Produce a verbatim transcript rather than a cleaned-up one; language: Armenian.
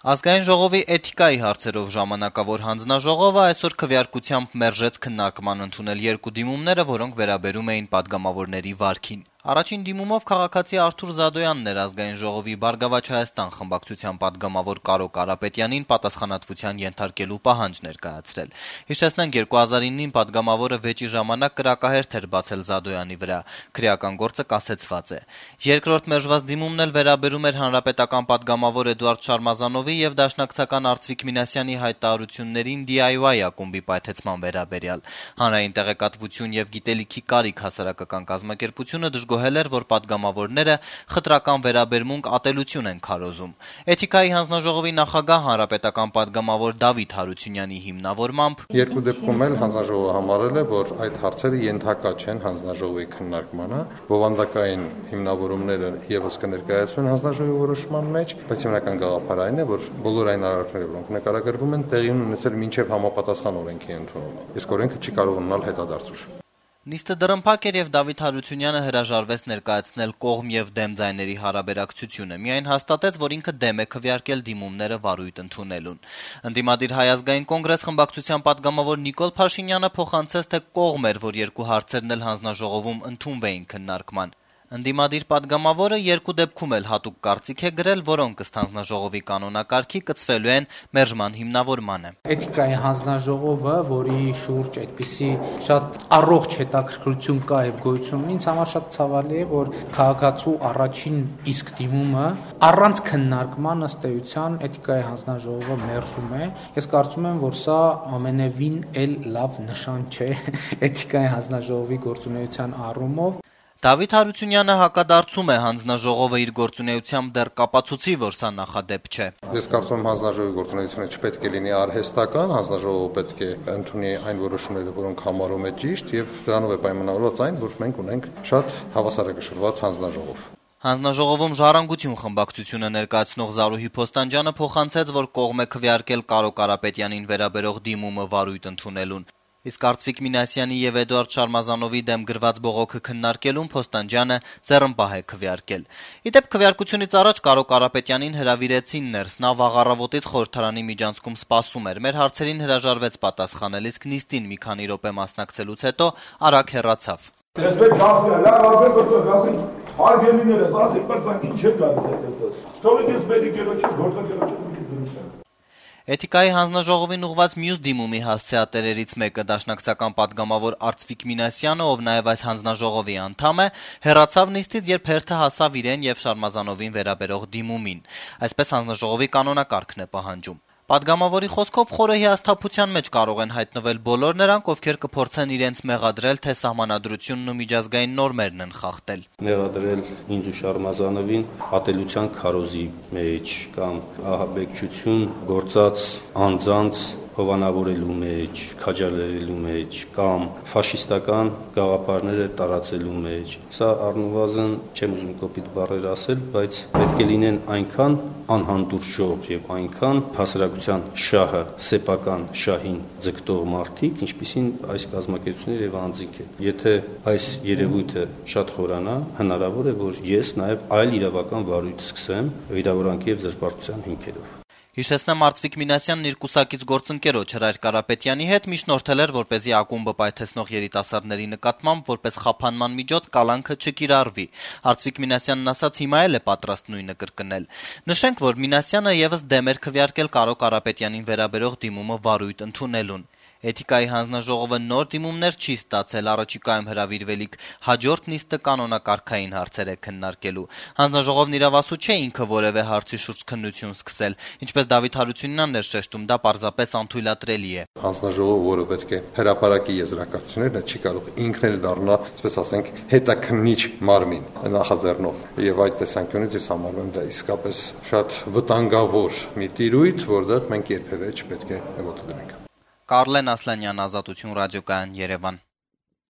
Ազգային ժողովի էթիկայի հարցերով ժամանակավոր հանձնաժողովը այսօր քվեարկությամբ մերժեց քննարկման ընդունել երկու դիմումները, որոնք վերաբերում էին պատգամավորների վարքին։ Առաջին դիմումով քաղաքացի Արթուր Զադոյանն էր Ազգային ժողովի «Բարգավաճ Հայաստան» խմբակցության պատգամավոր Կարո Կարապետյանին պատասխանատվության ենթարկելու պահանջ ներկայացրել։ Հիշեցնենք, երկու հազար իննին պատգամավորը վեճի ժամանակ կրակահերթ էր բացել Զադոյանի վրա։ Քրեական գործը կասեցված է։ Երկրորդ մերժված դիմումն էլ վերաբերում էր հանրապետական պատգամավոր Էդուարդ Շարմազանովի եւ դաշնակցական Արծվիկ Մինասյանի հայտարարություններին դի այ վայ ակումբի պայթեցման վերաբերյալ։ Հանրային տեղեկատվություն եւ գիտելիքի կարիք հասարակական կազմակերպությունը դժգոհել էր, որ պատգամավորները խտրական վերաբերմունք ատելություն են քարոզում։ Էթիկայի հանձնաժողովի նախագահ հանրապետական պատգամավոր Դավիթ Հարությունյանի հիմնավորմամբ երկու դեպքում էլ հանձնաժողովը համարել է, որ այդ հարցերը ենթակա չեն հանձնաժողովի քննարկմանը, բովանդակային հիմնավորումները եւս կներկայացվեն հանձնաժողովի որոշման մեջ, բայց հիմնական գաղափարը այն է, որ բոլոր այն արարքները, որոնք նկարագրվում են, տեղի ունեցել մինչև համապատասխան օրենքի ընդունումը։ Իսկ օրենքը չի կարող ունենալ հետադարձուժ։ Նիստը դռնփակ էր եւ Դավիթ Հարությունյանը հրաժարվեց ներկայացնել կողմ եւ դեմ ձայների հարաբերակցությունը։ Միայն հաստատեց, որ ինքը դեմ է քվեարկել դիմումները վարույթ ընդունելուն։ Ընդդիմադիր Հայ ազգային կոնգրես խմբակցության պատգամավոր Նիկոլ Փաշինյանը փոխանցեց, թե կողմ էր, որ երկու հարցերն էլ հանձնաժողովում ընդունվեին քննարկման։ Ընդդիմադիր պատգամավորը երկու դեպքում էլ հատուկ կարծիք է գրել, որոնք ըստ հանձնաժողովի կանոնակարգի կցվելու են մերժման հիմնավորմանը։ Էթիկայի հանձնաժողովը, որի շուրջ այդպիսի շատ առողջ հետաքրքրություն կա եւ գոյություն ունի, ինձ համար շատ ցավալի է, որ քաղաքացու առաջին իսկ դիմումը առանց քննարկման ըստ էության Էթիկայի հանձնաժողովը մերժում է։ Ես կարծում եմ, որ սա ամենևին էլ լավ նշան չէ Էթիկայի հանձնաժողովի գործունեության առումով։ Դավիթ Հարությունյանը հակադարձում է, հանձնաժողովը իր գործունեությամբ դեռ կապացուցի, որ սա նախադեպ չէ։ Ես կարծում եմ, հանձնաժողովի գործունեությունը չպետք է լինի արհեստական, հանձնաժողովը պետք է ընդունի այն որոշումները, որոնք համարում է ճիշտ, եւ դրանով է պայմանավորված այն, որ մենք ունենք շատ հավասարակշռված հանձնաժողով։ Հանձնաժողովում «Ժառանգություն» խմբակցությունը ներկայացնող Զարուհի Փոստանջյանը փոխանցեց, որ կողմ է քվեարկել Կարո Կարապետյանին վերաբերող դիմումը վարույթ ընդունելուն։ Իսկ Արծվիկ Մինասյանի եւ Էդուարդ Շարմազանովի դեմ գրված բողոքը քննարկելուն Փոստանջյանը ձեռնպահ է քվեարկել։ Իդեպ քվեարկությունից առաջ Կարո Կարապետյանին հրավիրեցին ներս, նա վաղ առավոտից խորհրդարանի միջանցքում սպասում էր։ Մեր հարցերին հրաժարվեց պատասխանել, իսկ նիստին մի քանի րոպե մասնակցելուց հետո արագ հեռացավ։ Respect gazı, la gazı burada gazı, hargelineres, asık barsan kinçe gazı sekreter. Tabii ki beni gereçi, gorda gereçi bizim. Էթիկայի հանձնաժողովին ուղված մյուս դիմումի հասցեատերերից մեկը դաշնակցական պատգամավոր Արծվիկ Մինասյանը, ով նաև այս հանձնաժողովի անդամ է, հեռացավ նիստից, երբ հերթը հասավ իրեն եւ Շարմազանովին վերաբերող դիմումին։ Այսպես հանձնաժողովի կանոնակարգն է պահանջում։ Պատգամավորի խոսքով խորը հիասթափության մեջ կարող են հայտնվել բոլոր նրանք, ովքեր կփորձեն իրենց մեղադրել, թե սահմանադրությունն ու միջազգային նորմերն են խախտել։ Մեղադրել ինձ ու Շարմազանովին ատելության քարոզի մեջ կամ ահաբեկչություն գործած անձանց հովանավորելու մեջ, քաջալերելու մեջ կամ ֆաշիստական գաղափարները տարածելու մեջ։ Սա առնվազն չեմ ուզում կոպիտ բառեր ասել, բայց պետք է լինեն այնքան անհանդուրժող եւ այնքան հասարակության շահը, սեփական շահին ձգտող մարդիկ, ինչպիսին այս կազմակերպությունները եւ անձինք են։ Եթե այս երևույթը շատ խորանա, հնարավոր է, որ ես նաեւ այլ իրավական վարույթ սկսեմ վիրավորանքի եւ զրպարտության հիմքերով։ Հիշեցնեմ, Արծվիկ Մինասյանն իր կուսակից գործընկերոջ Հրայր Կարապետյանի հետ միջնորդել էր, որպեսզի ակումբը պայթեցնող երիտասարդների նկատմամբ որպես խափանման միջոց կալանքը չկիրառվի։ Արծվիկ Մինասյանն ասաց, հիմա էլ է պատրաստ նույնը կրկնել։ Նշենք, որ Մինասյանը եւս դեմ էր քվեարկել Կարո Կարապետյանին վերաբերող դիմումը վարույթ ընդունելուն։ Էթիկայի հանձնաժողովը նոր դիմումներ չի ստացել, առաջիկայում հրավիրվելիք հաջորդ նիստը կանոնակարգային հարցեր է քննարկելու։ Հանձնաժողովն իրավասու չէ ինքը որևէ հարցի շուրջ քննություն սկսել, ինչպես Դավիթ Հարությունյանն էր շեշտում, դա պարզապես անթույլատրելի է։ Հանձնաժողովը, որը պետք է հրապարակի եզրակացությունները, չի կարող ինքն էլ դառնա, այսպես ասենք, հետաքննիչ մարմին նախաձեռնող։ Եվ այդ տեսանկյունից ես համարում եմ դա իսկապես շատ վտանգավոր մի տիրույթ, որտեղ մենք երբևէ չպետք է ոտը դնենք։ Կարլեն Ասլանյան, Ազատություն ռադիոկայան, Երևան։